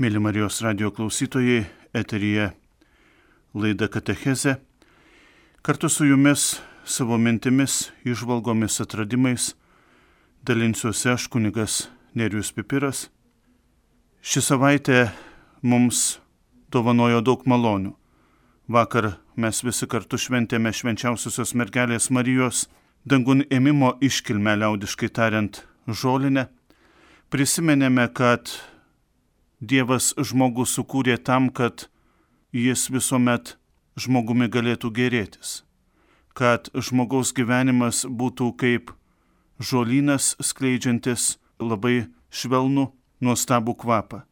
Mėly Marijos radijo klausytojai, eteryje laida Katechezė. Kartu su jumis savo mintimis, įžvalgomis, atradimais dalinsiuosi aš, kunigas Nerijus Pipiras. Ši savaitė mums dovanojo daug malonių. Vakar mes visi kartu šventėme švenčiausiosios mergelės Marijos dangun ėmimo iškilmę, liaudiškai tariant, žolinę. Prisimenėme, kad Dievas žmogų sukūrė tam, kad jis visuomet žmogumi galėtų gėrėtis, kad žmogaus gyvenimas būtų kaip žolynas skleidžiantis labai švelnų, nuostabų kvapą.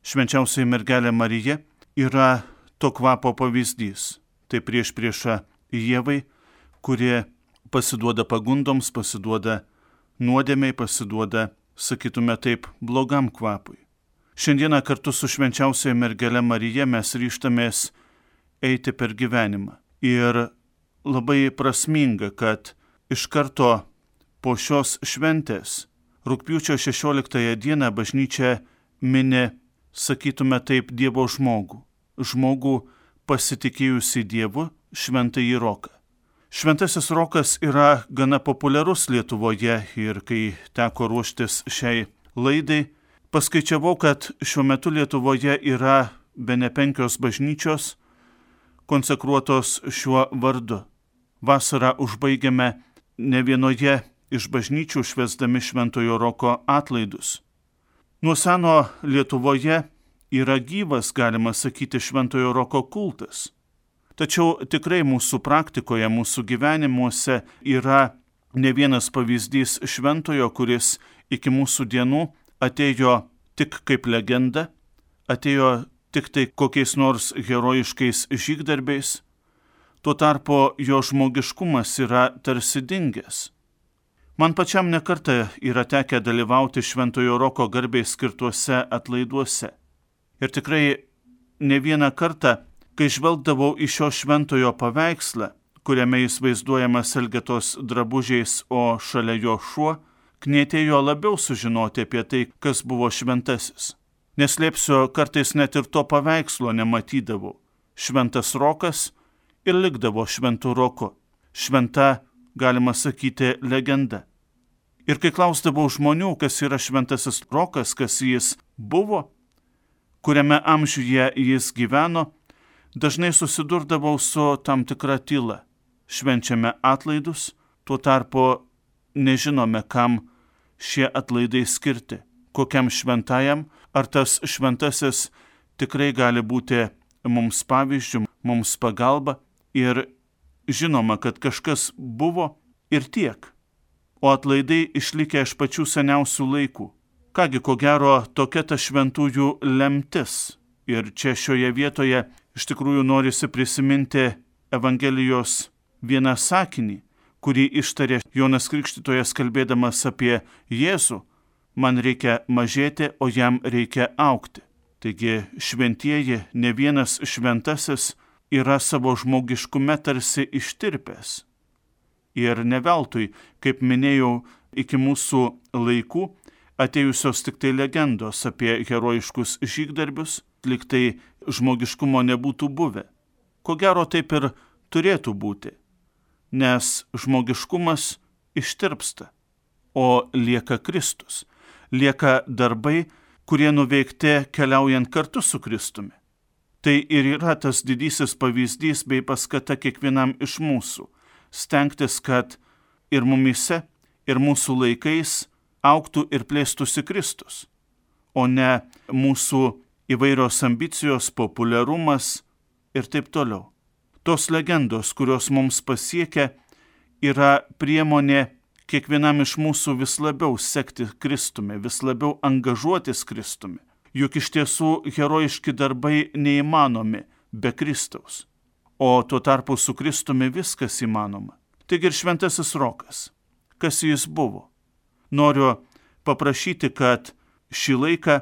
Švenčiausioji mergelė Marija yra to kvapo pavyzdys. Tai priešprieša Ievai, kurie pasiduoda pagundoms, pasiduoda nuodėmei, pasiduoda, sakytume taip, blogam kvapui. Šiandieną kartu su švenčiausioji mergele Marija mes ryžtamės eiti per gyvenimą. Ir labai prasminga, kad iš karto po šios šventės, rugpjūčio 16 dieną, bažnyčia mini, sakytume taip, Dievo žmogų. Žmogų pasitikėjusi Dievu, šventąjį Roką. Šventasis Rokas yra gana populiarus Lietuvoje ir kai teko ruoštis šiai laidai, paskaičiavau, kad šiuo metu Lietuvoje yra bene 5 bažnyčios konsekruotos šiuo vardu. Vasarą užbaigiame ne vienoje iš bažnyčių švęsdami Šventojo Roko atlaidus. Nuo seno Lietuvoje yra gyvas, galima sakyti, Šventojo Roko kultas. Tačiau tikrai mūsų praktikoje, mūsų gyvenimuose yra ne vienas pavyzdys šventojo, kuris iki mūsų dienų atėjo tik kaip legenda, atėjo tik tai kokiais nors herojiškais žygdarbiais, tuo tarpu jo žmogiškumas yra tarsi dingęs. Man pačiam nekartą yra tekę dalyvauti Šventojo Roko garbei skirtuose atlaiduose. Ir tikrai ne vieną kartą, kai žvelgdavau į šio šventojo paveikslą, kuriame jis vaizduojamas Elgetos drabužiais, o šalia jo šuo, knietėjo labiau sužinoti apie tai, kas buvo šventasis. Neslėpsiu, kartais net ir to paveikslo nematydavau. Šventas Rokas ir likdavo šventu Roku. Šventa, galima sakyti, legenda. Ir kai klausdavau žmonių, kas yra šventasis Rokas, kas jis buvo, kuriame amžiuje jis gyveno, dažnai susidurdavau su tam tikra tyla. Švenčiame atlaidus, tuo tarpu nežinome, kam šie atlaidai skirti, kokiam šventajam, ar tas šventasis tikrai gali būti mums pavyzdžių, mums pagalba, ir žinoma, kad kažkas buvo ir tiek, o atlaidai išlikę iš pačių seniausių laikų. Kągi, ko gero, tokia ta šventųjų lemtis. Ir čia šioje vietoje iš tikrųjų norisi prisiminti Evangelijos vieną sakinį, kurį ištarė Jonas Krikštytojas kalbėdamas apie Jėzų: man reikia mažėti, o jam reikia augti. Taigi šventieji, ne vienas šventasis yra savo žmogiškume tarsi ištirpęs. Ir ne veltui, kaip minėjau, iki mūsų laikų atėjusios tik tai legendos apie herojiškus žygdarbius, lyg tai žmogiškumo nebūtų buvę. Ko gero taip ir turėtų būti, nes žmogiškumas ištirpsta, o lieka Kristus, lieka darbai, kurie nuveikti keliaujant kartu su Kristumi. Tai ir yra tas didysis pavyzdys bei paskata kiekvienam iš mūsų stengtis, kad ir mumyse, ir mūsų laikais augtų ir plėstųsi Kristus, o ne mūsų įvairios ambicijos, populiarumas ir taip toliau. Tos legendos, kurios mums pasiekia, yra priemonė kiekvienam iš mūsų vis labiau sekti Kristumi, vis labiau angažuotis Kristumi. Juk iš tiesų herojiški darbai neįmanomi be Kristaus, o tuo tarpu su Kristumi viskas įmanoma. Taigi ir šventasis Rokas, kas jis buvo? Noriu paprašyti, kad šį laiką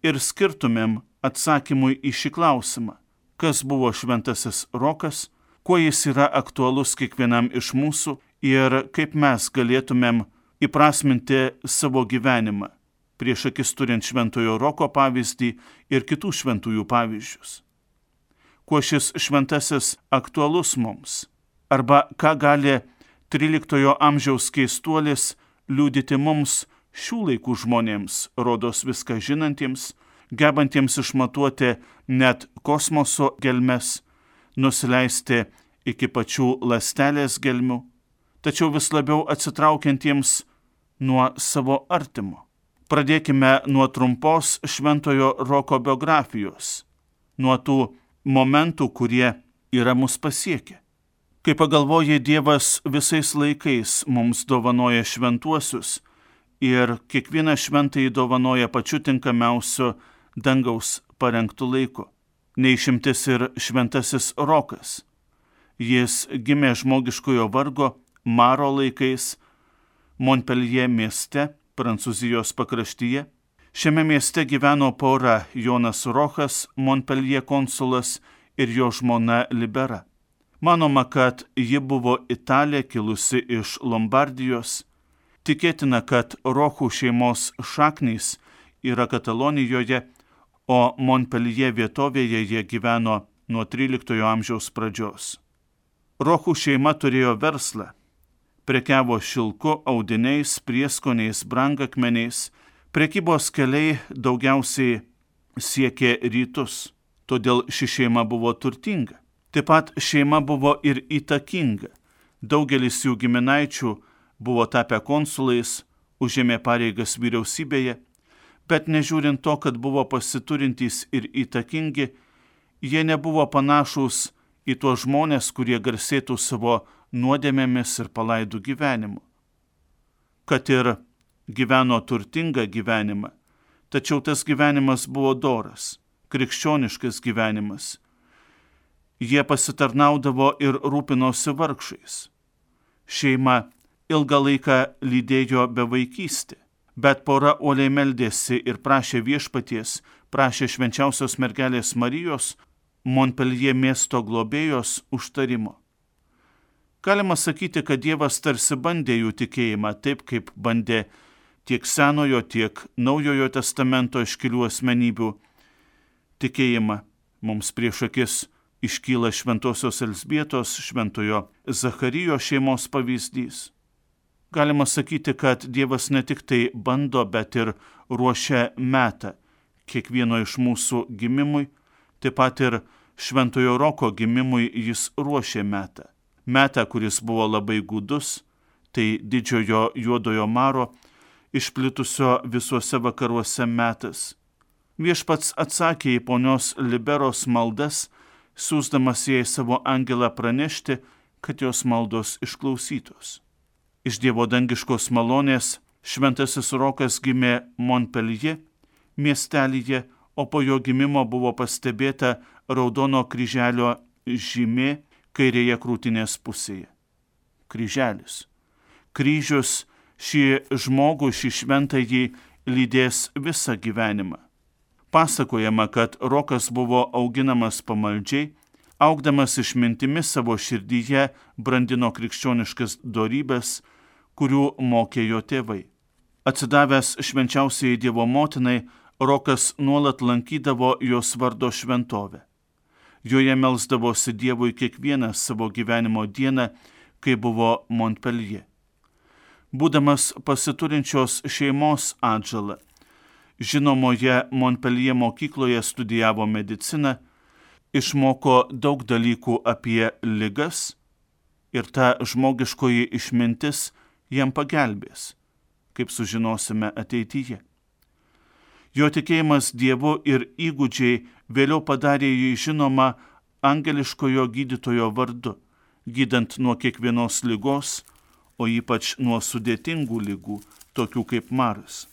ir skirtumėm atsakymui į šį klausimą. Kas buvo šventasis Rokas, kuo jis yra aktualus kiekvienam iš mūsų ir kaip mes galėtumėm įprasminti savo gyvenimą, prieš akis turint šventojo Roko pavyzdį ir kitų šventųjų pavyzdžius. Kuo šis šventasis aktualus mums? Arba ką gali 13 amžiaus keistuolis liudyti mums šių laikų žmonėms, rodos viską žinantiems, gebantiems išmatuoti net kosmoso gelmes, nusileisti iki pačių ląstelės gelmių, tačiau vis labiau atsitraukiantiems nuo savo artimo. Pradėkime nuo trumpos šventojo Roko biografijos, nuo tų momentų, kurie yra mus pasiekę. Kai pagalvoji, Dievas visais laikais mums dovanoja šventuosius ir kiekvieną šventąjį dovanoja pačiu tinkamiausiu dangaus parengtų laiku. Neišimtis ir šventasis Rokas. Jis gimė žmogiškojo vargo Maro laikais Montpellier mieste, Prancūzijos pakraštyje. Šiame mieste gyveno pora Jonas Rochas, Montpellier konsulas ir jo žmona Libera. Manoma, kad ji buvo italė kilusi iš Lombardijos. Tikėtina, kad Rochų šeimos šaknys yra Katalonijoje, o Montpellier vietovėje jie gyveno nuo 13 amžiaus pradžios. Rochų šeima turėjo verslą. Prekiavo šilku, audiniais, prieskoniais, brangakmeniais. Prekybos keliai daugiausiai siekė rytus, todėl ši šeima buvo turtinga. Taip pat šeima buvo ir įtakinga. Daugelis jų giminaičių buvo tapę konsulais, užėmė pareigas vyriausybėje, bet nežiūrint to, kad buvo pasiturintys ir įtakingi, jie nebuvo panašūs į tuos žmonės, kurie garsėtų savo nuodėmėmis ir palaidų gyvenimu. Kad ir gyveno turtingą gyvenimą, tačiau tas gyvenimas buvo doras, krikščioniškas gyvenimas. Jie pasitarnaudavo ir rūpinosi vargšais. Šeima ilgą laiką lydėjo bevaikystę, bet pora uoliai meldėsi ir prašė viešpaties, prašė švenčiausios mergelės Marijos, Montpellier miesto globėjos užtarimo. Galima sakyti, kad Dievas tarsi bandė jų tikėjimą, taip kaip bandė tiek Senojo, tiek Naujojo testamento iškilių asmenybių tikėjimą. Mums prieš akis iškyla šventosios Elzbietos, šventojo Zacharijo šeimos pavyzdys. Galima sakyti, kad Dievas ne tik tai bando, bet ir ruošia metą kiekvieno iš mūsų gimimui, taip pat ir šventojo Roko gimimui jis ruošė metą. Metą, kuris buvo labai gūdus, tai didžiojo juodojo maro, išplitusio visuose vakaruose metas. Viešpats atsakė į ponios Liberos maldas, siųsdamas jai savo angelą pranešti, kad jos maldos išklausytos. Iš Dievo dangiškos malonės šventasis Rokas gimė Montpellier miestelyje, o po jo gimimo buvo pastebėta raudono kryželio žymė kairėje krūtinės pusėje. Kryželis. Kryžius šį žmogų, šį šventąjį lydės visą gyvenimą. Pasakojama, kad Rokas buvo auginamas pamaldžiai, augdamas išmintimi savo širdyje brandino krikščioniškas dorybes, kurių mokė jo tėvai. Atsidavęs švenčiausiai Dievo motinai, Rokas nuolat lankydavo jos vardo šventovę. Joje melsdavosi Dievui kiekvieną savo gyvenimo dieną, kai buvo Montpellier. Būdamas pasiturinčios šeimos atžala, žinomoje Montpellier mokykloje studijavo mediciną, išmoko daug dalykų apie ligas ir ta žmogiškoji išmintis jam pagelbės, kaip sužinosime ateityje. Jo tikėjimas Dievu ir įgūdžiai vėliau padarė jį žinomą angeliškojo gydytojo vardu, gydant nuo kiekvienos ligos, o ypač nuo sudėtingų ligų, tokių kaip maras.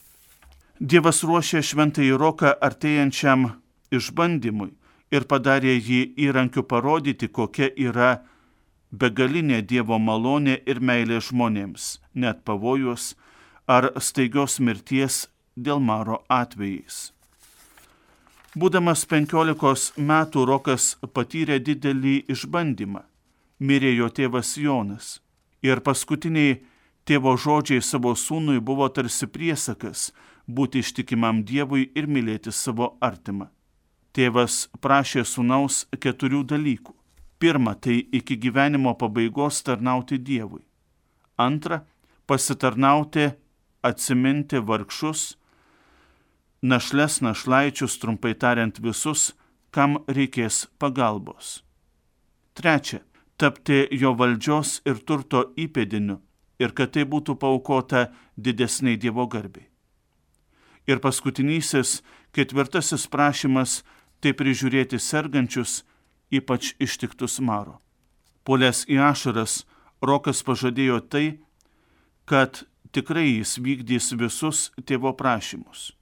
Dievas ruošė šventąjį Roką artėjančiam išbandymui ir padarė jį įrankiu parodyti, kokia yra begalinė Dievo malonė ir meilė žmonėms, net pavojus ar staigios mirties dėl maro atvejais. Būdamas 15 metų Rokas patyrė didelį išbandymą. Mirė jo tėvas Jonas ir paskutiniai tėvo žodžiai savo sūnui buvo tarsi priesakas, būti ištikimam Dievui ir mylėti savo artimą. Tėvas prašė sūnaus 4 dalykų. Pirma, tai iki gyvenimo pabaigos tarnauti Dievui. Antra, pasitarnauti, atsiminti vargšus, našles, našlaičius, trumpai tariant visus, kam reikės pagalbos. Trečia, tapti jo valdžios ir turto įpėdiniu ir kad tai būtų paaukota didesniai Dievo garbei. Ir paskutinysis, 4 prašymas, tai prižiūrėti sergančius, ypač ištiktus maro. Puolęs į ašaras, Rokas pažadėjo tai, kad tikrai jis vykdys visus tėvo prašymus.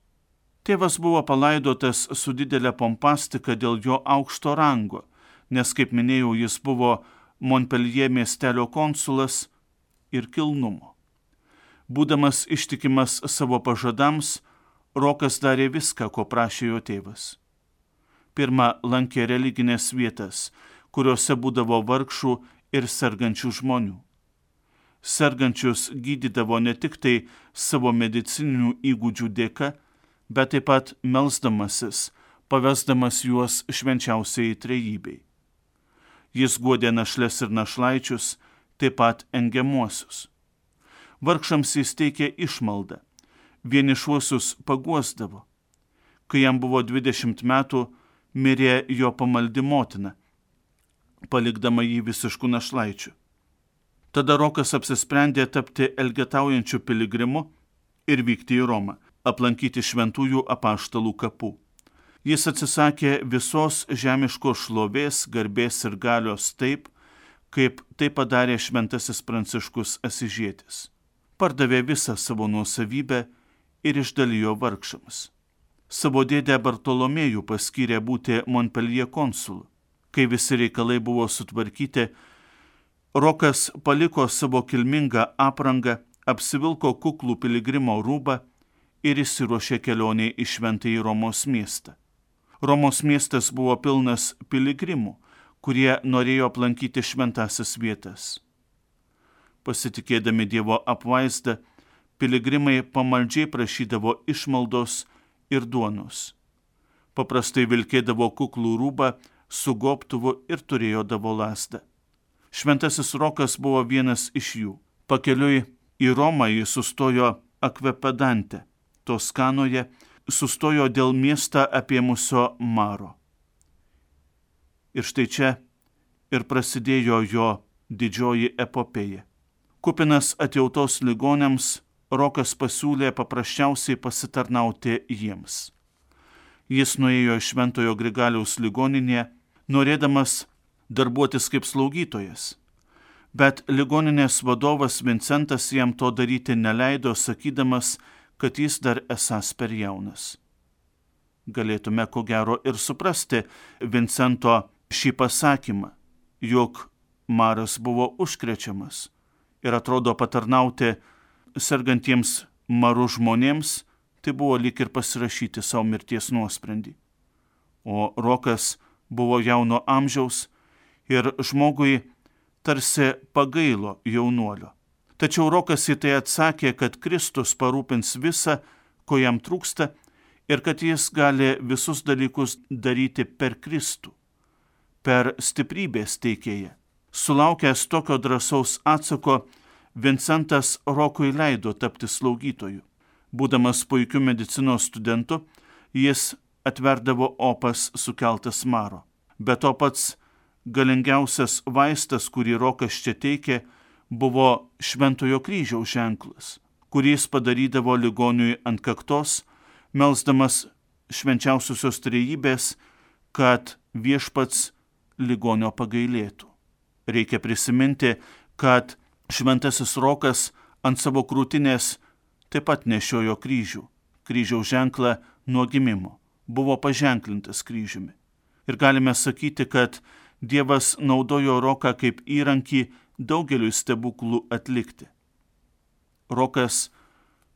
Tėvas buvo palaidotas su didelė pompastika dėl jo aukšto rango, nes, kaip minėjau, jis buvo Montpellier miestelio konsulas ir kilnumo. Būdamas ištikimas savo pažadams, Rokas darė viską, ko prašė jo tėvas. Pirma, lankė religinės vietas, kuriuose būdavo vargšų ir sergančių žmonių. Sergančius gydydavo ne tik tai savo medicininių įgūdžių dėka, bet taip pat melsdamasis, pavesdamas juos švenčiausiai trejybei. Jis guodė našles ir našlaičius, taip pat engiamuosius. Vargšams jis teikė išmaldą, vienišuosius paguosdavo. Kai jam buvo 20 metų, mirė jo pamaldi motina, palikdama jį visiškų našlaičių. Tada Rokas apsisprendė tapti elgetaujančiu piligrimu ir vykti į Romą, aplankyti šventųjų apaštalų kapų. Jis atsisakė visos žemiškos šlovės, garbės ir galios taip, kaip tai padarė šventasis Pranciškus Asižietis. Pardavė visą savo nuosavybę ir išdalijo vargšams. Savo dėdę Bartolomėjų paskyrė būti Montpellier konsulu. Kai visi reikalai buvo sutvarkyti, Rokas paliko savo kilmingą aprangą, apsivilko kuklų piligrimo rūbą ir išsiruošė kelionei į šventąjį Romos miestą. Romos miestas buvo pilnas piligrimų, kurie norėjo aplankyti šventąsias vietas. Pasitikėdami Dievo apvaizdą, piligrimai pamaldžiai prašydavo išmaldos ir duonos. Paprastai vilkėdavo kuklų rūbą su gobtuvu ir turėdavo lazdą. Šventasis Rokas buvo vienas iš jų. Pakeliui į Romą jis sustojo Akvepedante, Toskanoje, sustojo dėl miestą apėmusio maro. Ir štai čia ir prasidėjo jo didžioji epopėja. Kupinas atjautos ligoniams, Rokas pasiūlė paprasčiausiai pasitarnauti jiems. Jis nuėjo į Šventojo Grigaliaus ligoninę, norėdamas darbuotis kaip slaugytojas. Bet ligoninės vadovas Vincentas jam to daryti neleido, sakydamas, kad jis dar esąs per jaunas. Galėtume ko gero ir suprasti Vincento šį pasakymą, jog maras buvo užkrečiamas ir atrodo patarnauti sergantiems maru žmonėms, tai buvo lyg ir pasirašyti savo mirties nuosprendį. O Rokas buvo jauno amžiaus ir žmogui tarsi pagailo jaunuolio. Tačiau Rokas į tai atsakė, kad Kristus parūpins visą, ko jam trūksta, ir kad jis gali visus dalykus daryti per Kristų, per stiprybės teikėją. Sulaukęs tokio drąsaus atsako, Vincentas Rokui leido tapti slaugytoju. Būdamas puikiu medicinos studentu, jis atverdavo opas sukeltas maro. Bet to pats galingiausias vaistas, kurį Rokas čia teikė, buvo Šventojo kryžiaus ženklas, kurį jis padarydavo ligoniui ant kaktos, melsdamas švenčiausiosios trejybės, kad viešpats ligonio pagailėtų. Reikia prisiminti, kad Šventasis Rokas ant savo krūtinės taip pat nešiojo kryžių. Kryžiaus ženklą nuo gimimo. Buvo paženklintas kryžiumi. Ir galime sakyti, kad Dievas naudojo Roką kaip įrankį daugeliui stebuklų atlikti. Rokas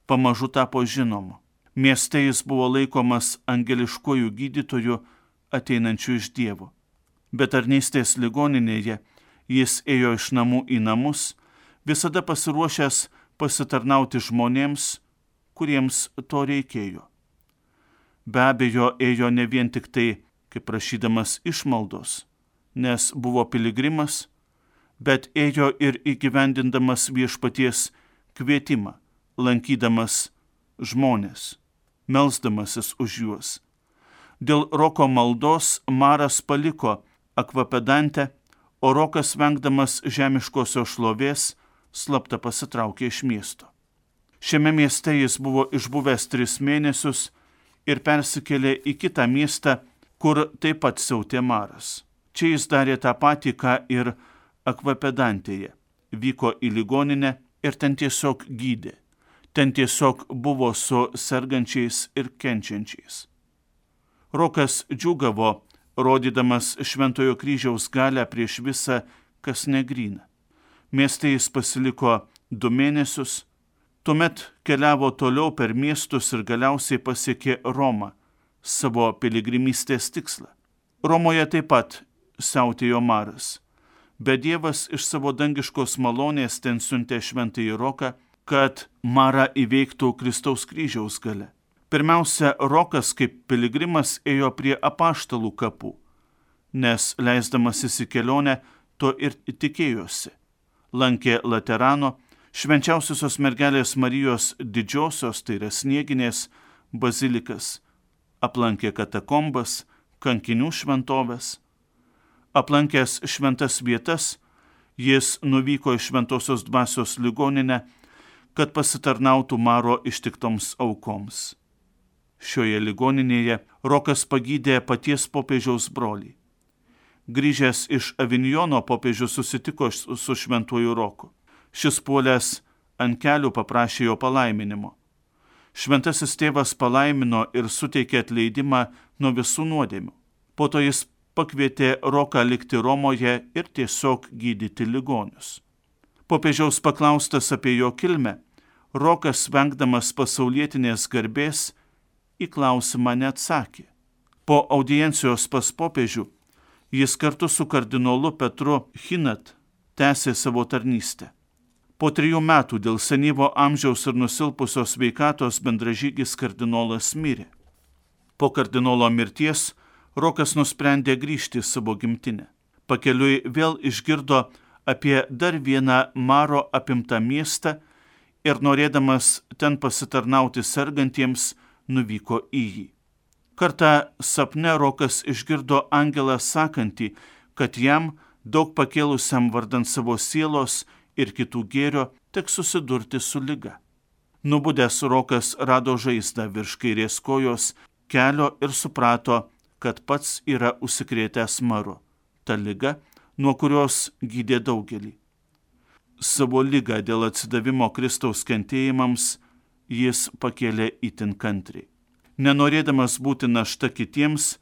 pamažu tapo žinomu. Mieste jis buvo laikomas angeliškuoju gydytoju ateinančiu iš Dievo. Bet tarnystės ligoninėje jis ėjo iš namų į namus, visada pasiruošęs pasitarnauti žmonėms, kuriems to reikėjo. Be abejo, ėjo ne vien tik tai, kaip prašydamas išmaldos, nes buvo piligrimas, bet ėjo ir įgyvendindamas viešpaties kvietimą, lankydamas žmonės, melsdamasis už juos. Dėl Roko maldos Maras paliko Akvapedantę, o Rokas, vengdamas žemiškosios šlovės, slapta pasitraukė iš miesto. Šiame mieste jis buvo išbuvęs 3 mėnesius ir persikėlė į kitą miestą, kur taip pat siautė maras. Čia jis darė tą patį, ką ir Akvapedantėje. Vyko į ligoninę ir ten tiesiog gydė. Ten tiesiog buvo su sergančiais ir kenčiančiais. Rokas džiūgavo, rodydamas Šventojo kryžiaus galią prieš visą, kas negryna. Mieste jis pasiliko 2 mėnesius, tuomet keliavo toliau per miestus ir galiausiai pasiekė Romą, savo piligrimystės tikslą. Romoje taip pat siautėjo maras, bet Dievas iš savo dangiškos malonės ten siuntė Šventąjį Roką, kad marą įveiktų Kristaus kryžiaus galia. Pirmiausia, Rokas kaip piligrimas ėjo prie apaštalų kapų, nes leisdamasis į kelionę to ir tikėjosi. Lankė Laterano, Švenčiausiosios mergelės Marijos didžiosios, tai yra Snieginės, bazilikas, aplankė katakombas, kankinių šventovės. Aplankęs šventas vietas, jis nuvyko į Šventosios dvasios ligoninę, kad pasitarnautų maro ištiktoms aukoms. Šioje ligoninėje Rokas pagydė paties popiežiaus brolį. Grįžęs iš Avinjono, popiežius susitiko su Šventuoju Roku. Šis puolęs ant kelių paprašė jo palaiminimo. Šventasis tėvas palaimino ir suteikė atleidimą nuo visų nuodėmių. Po to jis pakvietė Roką likti Romoje ir tiesiog gydyti ligonius. Popiežiaus paklaustas apie jo kilmę, Rokas, vengdamas pasaulietinės garbės, į klausimą neatsakė. Po audiencijos pas popiežių jis kartu su kardinolu Petru Hinat tęsė savo tarnystę. Po 3 metų dėl senyvo amžiaus ir nusilpusios sveikatos bendražygis kardinolas mirė. Po kardinolo mirties Rokas nusprendė grįžti į savo gimtinę. Pakeliui vėl išgirdo apie dar vieną maro apimtą miestą ir norėdamas ten pasitarnauti sergantiems, nuvyko į jį. Kartą sapne Rokas išgirdo angelą sakantį, kad jam, daug pakėlusiam vardant savo sielos ir kitų gėrio, teks susidurti su liga. Nubudęs Rokas rado žaizdą virš kairės kojos kelio ir suprato, kad pats yra užsikrėtęs maru, ta liga, nuo kurios gydė daugelį. Savo ligą dėl atsidavimo Kristaus kentėjimams jis pakėlė itin kantriai. Nenorėdamas būti našta kitiems,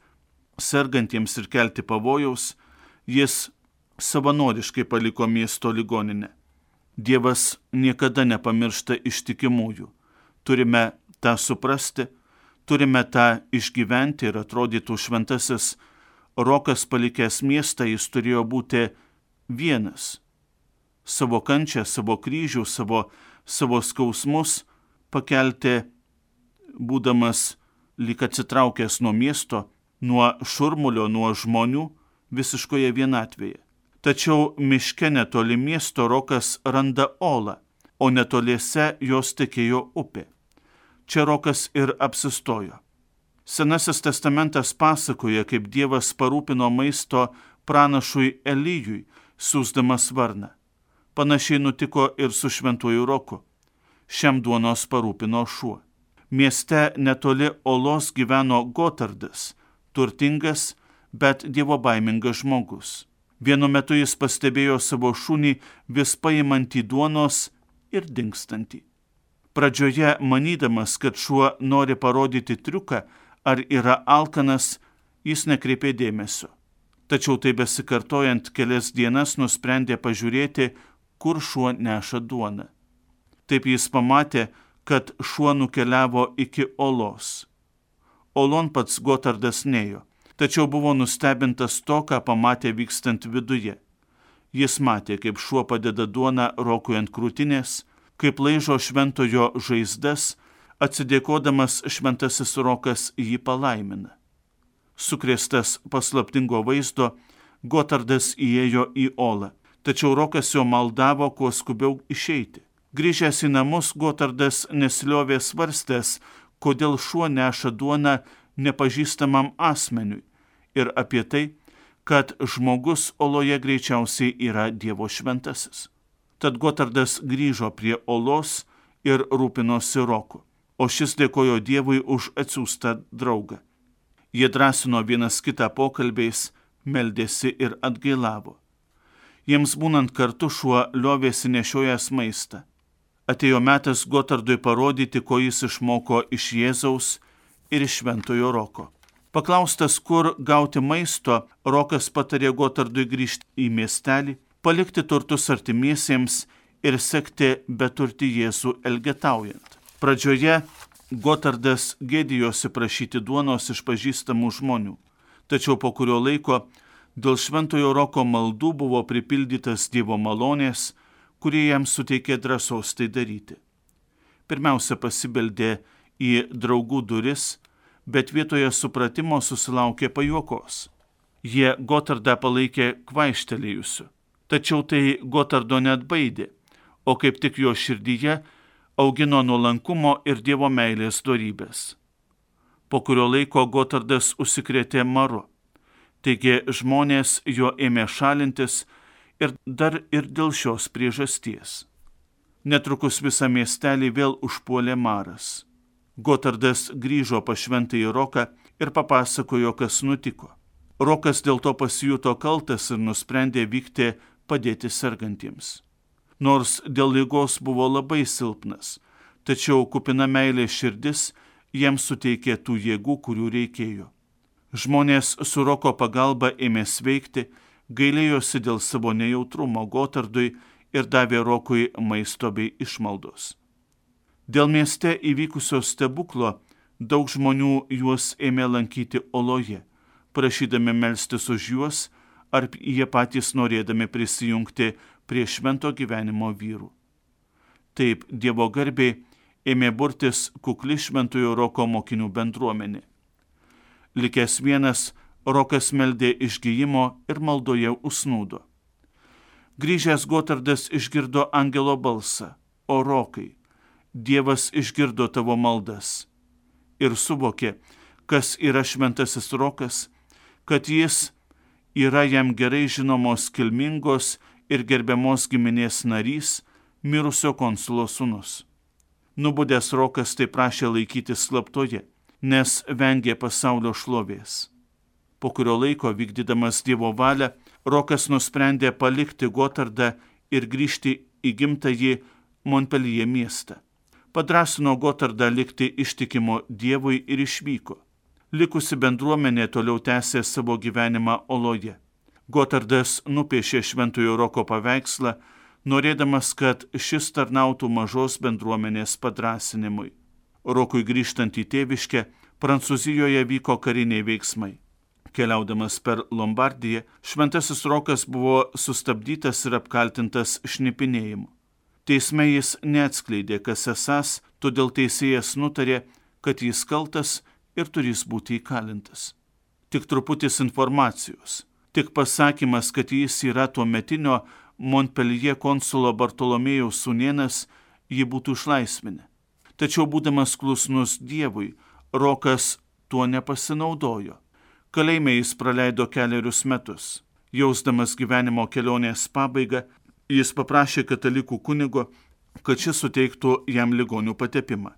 sergantiems ir kelti pavojaus, jis savanoriškai paliko miesto ligoninę. Dievas niekada nepamiršta ištikimųjų. Turime tą suprasti, turime tą išgyventi ir atrodytų šventasis Rokas palikęs miestą, jis turėjo būti vienas. Savo kančią, savo kryžių, savo skausmus pakelti, būdamas lyg atsitraukęs nuo miesto, nuo šurmulio, nuo žmonių, visiškoje vienatvėje. Tačiau miške netoli miesto Rokas randa olą, o netoliese jos tekėjo upė. Čia Rokas ir apsistojo. Senasis testamentas pasakoja, kaip Dievas parūpino maisto pranašui Elijui, siųsdamas varną. Panašiai nutiko ir su Šventuoju Roku. Šiam duonos parūpino šuo. Mieste netoli olos gyveno Gotardas, turtingas, bet dievobaimingas žmogus. Vienu metu jis pastebėjo savo šunį vis paimantį duonos ir dingstantį. Pradžioje, manydamas, kad šuo nori parodyti triuką ar yra alkanas, jis nekreipė dėmesio. Tačiau tai besikartojant kelias dienas nusprendė pažiūrėti, kur šuo neša duoną. Taip jis pamatė, kad šuo nukeliavo iki olos. Olon pats Gotardas nėjo, tačiau buvo nustebintas to, ką pamatė vykstant viduje. Jis matė, kaip šuo padeda duoną Rokui ant krūtinės, kaip laižo šventojo žaizdas, Atsidėkodamas šventasis Rokas jį palaimina. Sukrėstas paslaptingo vaizdo, Gotardas įėjo į olą, tačiau Rokas jo maldavo kuo skubiau išeiti. Grįžęs į namus, Gotardas nesiliovė svarstęs, kodėl šuo neša duoną nepažįstamam asmeniui ir apie tai, kad žmogus oloje greičiausiai yra Dievo šventasis. Tad Gotardas grįžo prie olos ir rūpinosi Roku, o šis dėkojo Dievui už atsiųstą draugą. Jie drąsino vienas kitą pokalbiais, meldėsi ir atgailavo. Jiems būnant kartu šuo liovėsi nešiojęs maistą. Atėjo metas Gotardui parodyti, ko jis išmoko iš Jėzaus ir iš šventojo Roko. Paklaustas, kur gauti maisto, Rokas patarė Gotardui grįžti į miestelį, palikti turtus artimiesiems ir sekti beturtį Jėzų elgetaujant. Pradžioje Gotardas gėdijosi prašyti duonos iš pažįstamų žmonių, tačiau po kurio laiko dėl šventojo Roko maldų buvo pripildytas Dievo malonės, kurie jam suteikė drąsos tai daryti. Pirmiausia pasibeldė į draugų duris, bet vietoje supratimo susilaukė pajuokos. Jie Gotardą palaikė kvaištelėjusiu, tačiau tai Gotardo neatbaidė, o kaip tik jo širdyje augino nuolankumo ir Dievo meilės dorybės. Po kurio laiko Gotardas užsikrėtė maru, taigi žmonės jo ėmė šalintis ir dar ir dėl šios priežasties. Netrukus visą miestelį vėl užpuolė maras. Gotardas grįžo pas šventąjį Roką ir papasakojo, kas nutiko. Rokas dėl to pasijuto kaltas ir nusprendė vykti padėti sergantiems. Nors dėl ligos buvo labai silpnas, tačiau kupina meilės širdis jam suteikė tų jėgų, kurių reikėjo. Žmonės su Roko pagalba ėmė sveikti, gailėjosi dėl savo nejautrumo Gotardui ir davė Rokui maisto bei išmaldos. Dėl mieste įvykusio stebuklo daug žmonių juos ėmė lankyti oloje, prašydami melstis už juos ar jie patys norėdami prisijungti prie švento gyvenimo vyrų. Taip Dievo garbei ėmė burtis kukli šventojo Roko mokinių bendruomenė. Likęs vienas, Rokas meldė išgijimo ir maldoje užsnūdo. Grįžęs Gotardas išgirdo angelo balsą: O Rokai, Dievas išgirdo tavo maldas. Ir suvokė, kas yra šventasis Rokas, kad jis yra jam gerai žinomos kilmingos ir gerbiamos giminės narys, mirusio konsulo sūnus. Nubudęs Rokas tai prašė laikyti slaptoje, nes vengė pasaulio šlovės. Po kurio laiko, vykdydamas Dievo valią, Rokas nusprendė palikti Gotardą ir grįžti į gimtąjį Montpellier miestą. Padrąsino Gotardą likti ištikimu Dievui ir išvyko. Likusi bendruomenė toliau tęsė savo gyvenimą oloje. Gotardas nupiešė šventojo Roko paveikslą, norėdamas, kad šis tarnautų mažos bendruomenės padrąsinimui. Rokui grįžtant į tėviškę, Prancūzijoje vyko kariniai veiksmai. Keliaudamas per Lombardiją, šventasis Rokas buvo sustabdytas ir apkaltintas šnipinėjimu. Teisme jis neatskleidė, kas esąs, todėl teisėjas nutarė, kad jis kaltas ir turės būti įkalintas. Tik truputis informacijos, tik pasakymas, kad jis yra tuometinio Montpellier konsulo Bartolomėjaus sūnėnas, jį būtų išlaisvinę. Tačiau būdamas klusnus Dievui, Rokas tuo nepasinaudojo. Kalėjime jis praleido 4 metus. Jausdamas gyvenimo kelionės pabaigą, jis paprašė katalikų kunigo, kad šis suteiktų jam ligonių patepimą.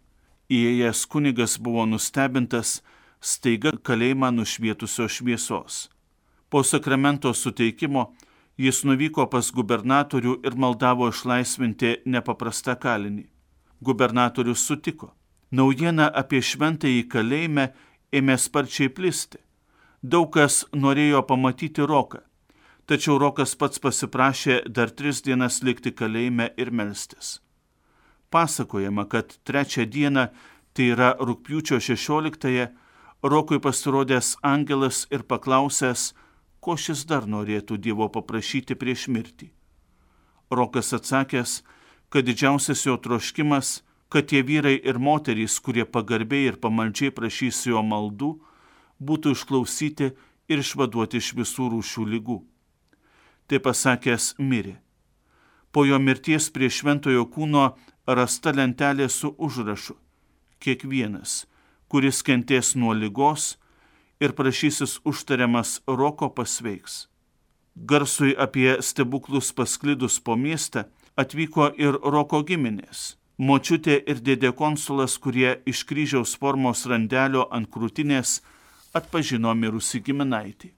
Įėjęs kunigas buvo nustebintas staiga kalėjimą nušvietusios šviesos. Po sakramento suteikimo jis nuvyko pas gubernatorių ir maldavo išlaisvinti nepaprastą kalinį. Gubernatorius sutiko. Naujiena apie šventąjį kalėjime ėmė sparčiai plisti. Daug kas norėjo pamatyti Roką, tačiau Rokas pats pasiprašė dar 3 dienas likti kalėjime ir melstis. Pasakojama, kad 3 dieną, tai yra rugpjūčio 16-ąją, Rokui pasirodęs angelas ir paklausęs, ko šis dar norėtų Dievo paprašyti prieš mirtį. Rokas atsakęs, kad didžiausias jo troškimas kad tie vyrai ir moterys, kurie pagarbiai ir pamaldžiai prašys jo maldų, būtų išklausyti ir išvaduoti iš visų rūšių ligų. Tai pasakęs mirė. Po jo mirties prie šventojo kūno rasta lentelė su užrašu: kiekvienas, kuris kentės nuo ligos ir prašysis užtariamas roko, pasveiks. Garsui apie stebuklus pasklidus po miestą atvyko ir roko giminės. Močiutė ir dėdė konsulas, kurie iš kryžiaus formos randelio ant krūtinės atpažino mirusį giminaitį.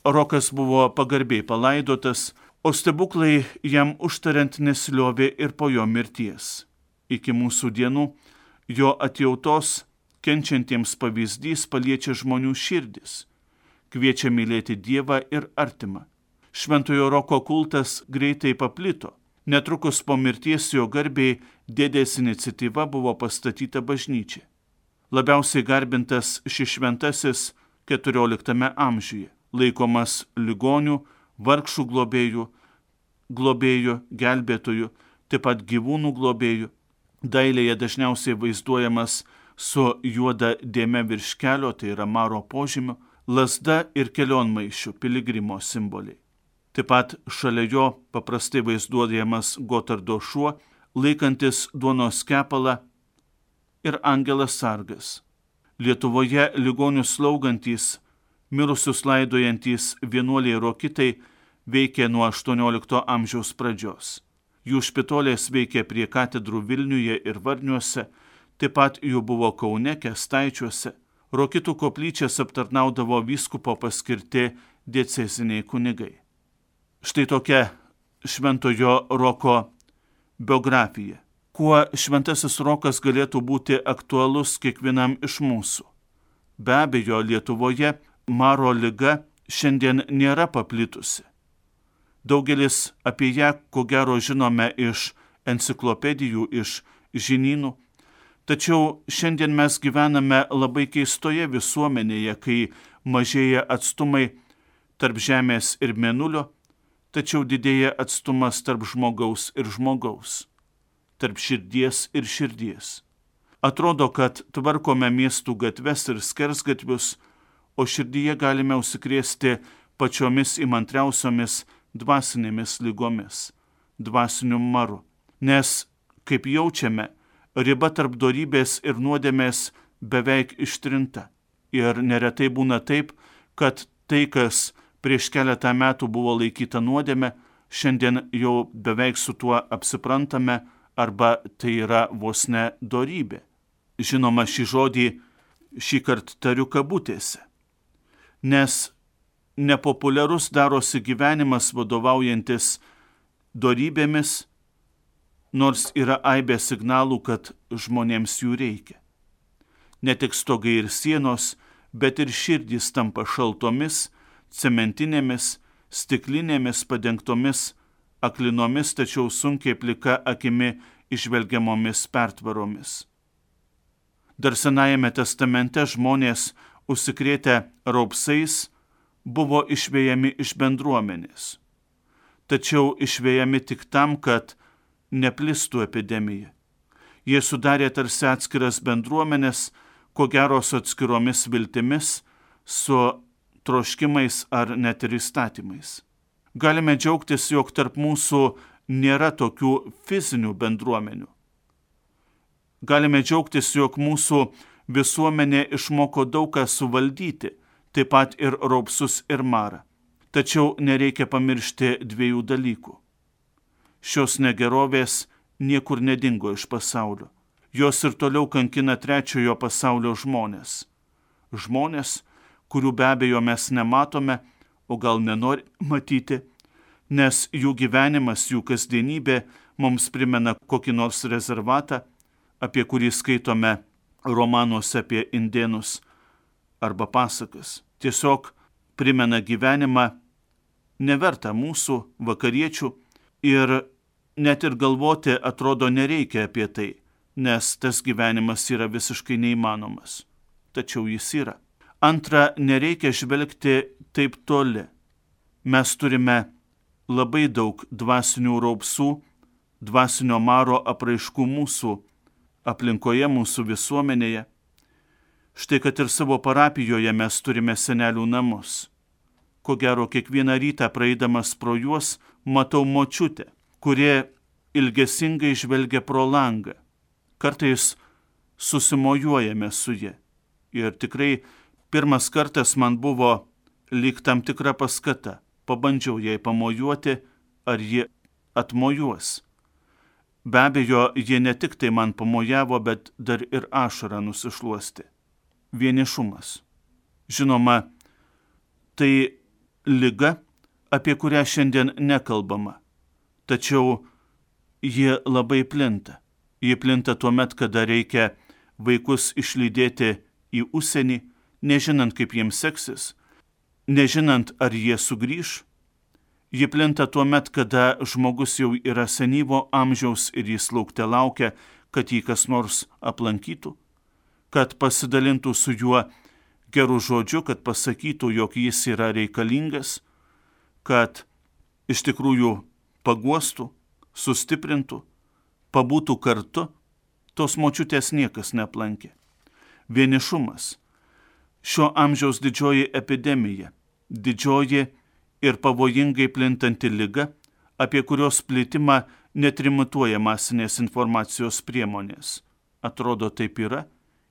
Rokas buvo pagarbiai palaidotas, o stebuklai jam užtariant nesiliovė ir po jo mirties. Iki mūsų dienų jo atjautos kenčiantiems pavyzdys paliečia žmonių širdis, kviečia mylėti Dievą ir artimą. Šventojo Roko kultas greitai paplito. Netrukus po mirties jo garbei dėdės iniciatyva buvo pastatyta bažnyčia. Labiausiai garbintas šis šventasis 14 amžiuje, laikomas ligonių, vargšų globėjų, gelbėtojų, taip pat gyvūnų globėjų. Dailėje dažniausiai vaizduojamas su juoda dėme virš kelio, tai yra maro požymiu, lazda ir kelionmaišių, piligrimo simboliai. Taip pat šalia jo paprastai vaizduojamas Gotardo šuo, laikantis duonos kepalą, ir angelas sargas. Lietuvoje ligonius slaugantys, mirusius laidojantys vienuoliai rokitai veikė nuo 18 amžiaus pradžios. Jų špitolės veikė prie katedrų Vilniuje ir Varniuose, taip pat jų buvo Kaune, Kęstaičiuose. Rokitų koplyčias aptarnaudavo vyskupo paskirti dieceziniai kunigai. Štai tokia šventojo Roko biografija. Kuo šventasis Rokas galėtų būti aktualus kiekvienam iš mūsų? Be abejo, Lietuvoje maro liga šiandien nėra paplitusi. Daugelis apie ją, ko gero, žinome iš enciklopedijų, iš žinynų. Tačiau šiandien mes gyvename labai keistoje visuomenėje, kai mažėja atstumai tarp Žemės ir Mėnulio, tačiau didėja atstumas tarp žmogaus ir žmogaus, tarp širdies ir širdies. Atrodo, kad tvarkome miestų gatves ir skersgatvius, o širdyje galime užsikrėsti pačiomis įmantriausiomis dvasinėmis lygomis, dvasiniu maru. Nes, kaip jaučiame, riba tarp dorybės ir nuodėmės beveik ištrinta. Ir neretai būna taip, kad tai, kas prieš keletą metų buvo laikyta nuodėme, šiandien jau beveik su tuo apsiprantame, arba tai yra vos ne dorybė. Žinoma, šį žodį šįkart tariu kabutėse, nes nepopuliarus darosi gyvenimas vadovaujantis dorybėmis, nors yra aibė signalų, kad žmonėms jų reikia. Ne tik stogai ir sienos, bet ir širdys tampa šaltomis, cementinėmis, stiklinėmis padengtomis, aklinomis, tačiau sunkiai plika akimi išvelgiamomis pertvaromis. Dar Senajame testamente žmonės, užsikrėtę raupsais, buvo išvejami iš bendruomenės. Tačiau išvejami tik tam, kad neplistų epidemija. Jie sudarė tarsi atskiras bendruomenės, ko gero su atskiromis viltimis, su troškimais ar net ir įstatymais. Galime džiaugtis, jog tarp mūsų nėra tokių fizinių bendruomenių. Galime džiaugtis, jog mūsų visuomenė išmoko daug ką suvaldyti, taip pat ir raupsus ir marą. Tačiau nereikia pamiršti dviejų dalykų. Šios negerovės niekur nedingo iš pasaulio. Jos ir toliau kankina trečiojo pasaulio žmonės. Žmonės, kurių be abejo mes nematome, o gal nenori matyti, nes jų gyvenimas, jų kasdienybė mums primena kokį nors rezervatą, apie kurį skaitome romanuose apie indėnus arba pasakas. Tiesiog primena gyvenimą nevertą mūsų vakariečių ir net ir galvoti atrodo nereikia apie tai, nes tas gyvenimas yra visiškai neįmanomas. Tačiau jis yra. Antra, nereikia žvelgti taip toli. Mes turime labai daug dvasinių raupsų, dvasinio maro apraiškų mūsų aplinkoje, mūsų visuomenėje. Štai kad ir savo parapijoje mes turime senelių namus. Ko gero, kiekvieną rytą praeidamas pro juos matau močiutę, kurie ilgesingai žvelgia pro langą. Kartais susimojuojame su ja. Ir tikrai pirmas kartas man buvo lyg tam tikra paskata. Pabandžiau jai pamojuoti, ar ji atmojuos. Be abejo, jie ne tik tai man pamojavo, bet dar ir ašarą nusišluosti. Vienišumas. Žinoma, tai liga, apie kurią šiandien nekalbama. Tačiau ji labai plinta. Ji plinta tuomet, kada reikia vaikus išlydėti į užsienį, nežinant, kaip jiems seksis, nežinant, ar jie sugrįš. Ji plinta tuomet, kada žmogus jau yra senyvo amžiaus ir jis laukte laukia, kad jį kas nors aplankytų, kad pasidalintų su juo gerų žodžių, kad pasakytų, jog jis yra reikalingas, kad iš tikrųjų paguostų, sustiprintų, pabūtų kartu. Tos močiutės niekas neaplankė. Vienišumas. Šio amžiaus didžioji epidemija, didžioji ir pavojingai plintanti liga, apie kurios plitimą netrimituoja masinės informacijos priemonės. Atrodo, taip yra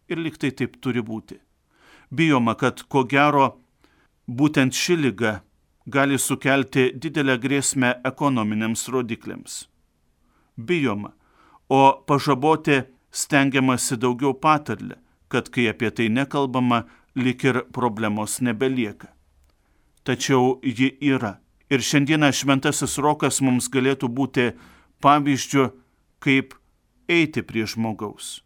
ir lyg tai taip turi būti. Bijoma, kad ko gero būtent ši liga gali sukelti didelę grėsmę ekonominiams rodikliams. Bijoma, o pažaboti stengiamasi daugiau patarlę, kad kai apie tai nekalbama, lyg ir problemos nebelieka. Tačiau ji yra. Ir šiandieną šventasis Rokas mums galėtų būti pavyzdžiu, kaip eiti prie žmogaus.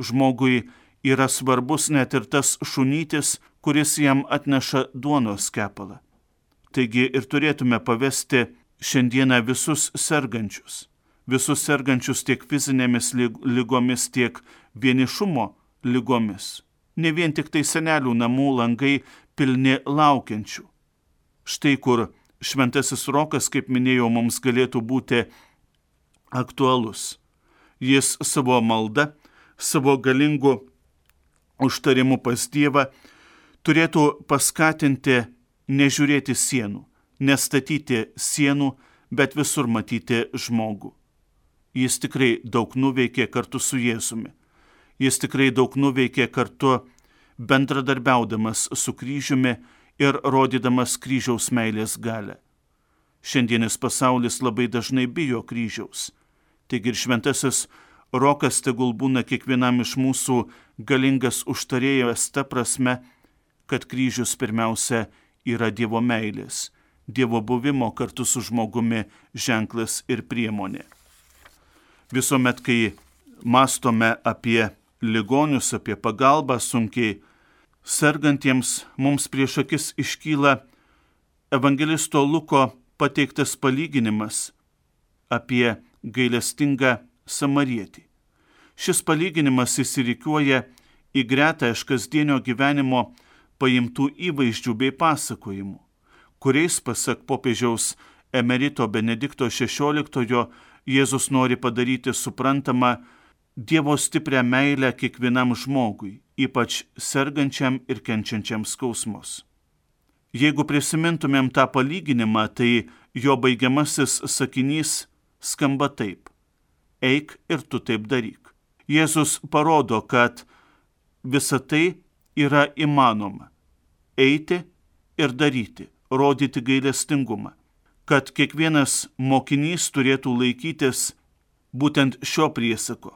Žmogui yra svarbus net ir tas šunytis, kuris jam atneša duonos kepalą. Taigi ir turėtume pavesti šiandieną visus sergančius tiek fizinėmis ligomis, tiek vienišumo ligomis. Ne vien tik tai senelių namų langai pilni laukiančių. Štai kur šventasis Rokas, kaip minėjau, mums galėtų būti aktualus. Jis savo malda, savo galingu užtarimu pas Dievą turėtų paskatinti nežiūrėti sienų, nestatyti sienų, bet visur matyti žmogų. Jis tikrai daug nuveikė kartu su Jėzumi. Jis tikrai daug nuveikė kartu bendradarbiaudamas su kryžiumi ir rodydamas kryžiaus meilės galią. Šiandienis pasaulis labai dažnai bijo kryžiaus. Taigi ir šventasis Rokas tegul būna kiekvienam iš mūsų galingas užtarėjas ta prasme, kad kryžius pirmiausia yra Dievo meilės, Dievo buvimo kartu su žmogumi ženklas ir priemonė. Visuomet, kai mąstome apie ligonius, apie pagalbą sunkiai sergantiems, mums prieš akis iškyla evangelisto Luko pateiktas palyginimas apie gailestingą samarietį. Šis palyginimas įsirikiuoja į gretą iš kasdienio gyvenimo paimtų įvaizdžių bei pasakojimų, kuriais, pasak popiežiaus emerito Benedikto XVI, Jėzus nori padaryti suprantamą Dievo stiprią meilę kiekvienam žmogui, ypač sergančiam ir kenčiančiam skausmus. Jeigu prisimintumėm tą palyginimą, tai jo baigiamasis sakinys skamba taip: eik ir tu taip daryk. Jėzus parodo, kad visa tai yra įmanoma. Eiti ir daryti, rodyti gailestingumą. Kad kiekvienas mokinys turėtų laikytis būtent šio priesako.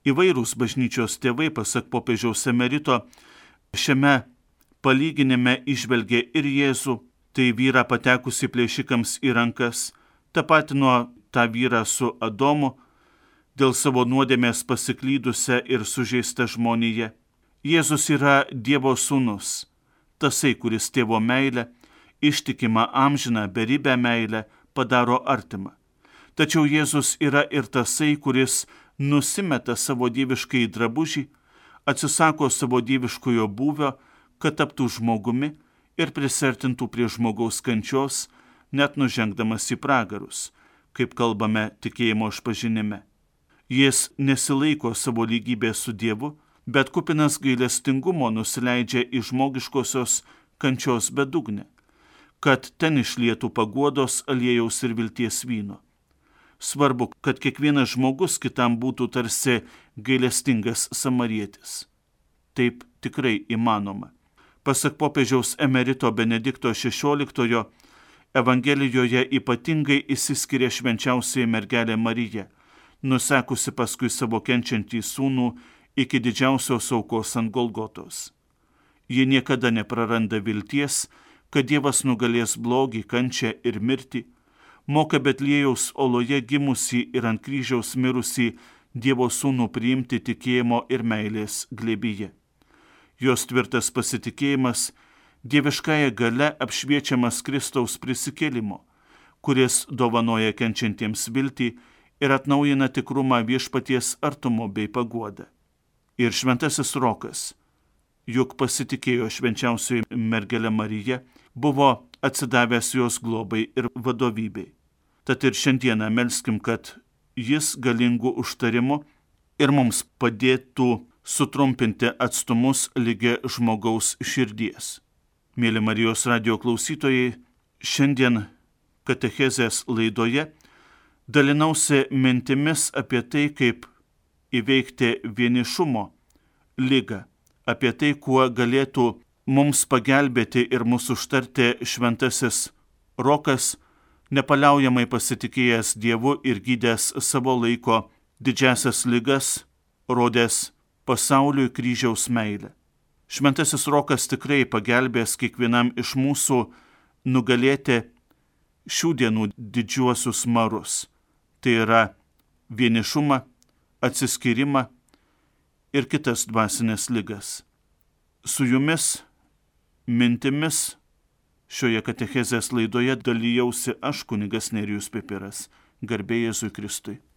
Įvairūs bažnyčios tėvai, pasak popiežiaus emerito, šiame palyginime įžvelgė ir Jėzų, tai vyrą patekusi plėšikams į rankas, tapatino tą vyrą su Adomu, dėl savo nuodėmės pasiklydusią ir sužeistą žmoniją. Jėzus yra Dievo sūnus, tasai, kuris tėvo meilę, ištikimą amžiną beribę meilę padaro artimą. Tačiau Jėzus yra ir tasai, kuris nusimeta savo dieviškai drabužį, atsisako savo dieviškojo būvio, kad taptų žmogumi ir prisertintų prie žmogaus kančios, net nužengdamas į pragarus, kaip kalbame tikėjimo išpažinime. Jis nesilaiko savo lygybės su Dievu, bet kupinas gailestingumo nusileidžia į žmogiškosios kančios bedugnę, kad ten išlietų paguodos, aliejaus ir vilties vyno. Svarbu, kad kiekvienas žmogus kitam būtų tarsi gailestingas samarietis. Taip tikrai įmanoma. Pasak popiežiaus emerito Benedikto XVI, Evangelijoje ypatingai išsiskiria švenčiausioji mergelė Marija, nusekusi paskui savo kenčiantį sūnų iki didžiausios aukos ant Golgotos. Ji niekada nepraranda vilties, kad Dievas nugalės blogį, kančią ir mirtį, moka Betliejaus oloje gimusį ir ant kryžiaus mirusį Dievo sūnų priimti tikėjimo ir meilės glėbyje. Jos tvirtas pasitikėjimas dieviškąja gale apšviečiamas Kristaus prisikėlimo, kuris dovanoja kenčiantiems viltį ir atnaujina tikrumą viešpaties artumo bei paguodą. Ir šventasis Rokas, juk pasitikėjo švenčiausioji mergelė Marija, buvo atsidavęs jos globai ir vadovybei. Tad ir šiandieną melskim, kad jis galingų užtarimų ir mums padėtų sutrumpinti atstumus ligi žmogaus širdies. Mėly Marijos radijo klausytojai, šiandien katechezės laidoje dalinausi mintimis apie tai, kaip įveikti vienišumo ligą, apie tai, kuo galėtų mums pagelbėti ir mūsų užtarti šventasis Rokas, nepaliaujamai pasitikėjęs Dievu ir gydęs savo laiko didžiasias ligas, rodęs pasauliui kryžiaus meilę. Šventasis Rokas tikrai pagelbės kiekvienam iš mūsų nugalėti šių dienų didžiuosius marus. Tai yra vienišumą, atsiskyrimą ir kitas dvasinės ligas. Su jumis mintimis šioje katechezės laidoje dalijausi aš, kunigas Nerijus Pipiras. Garbė Jėzui Kristui.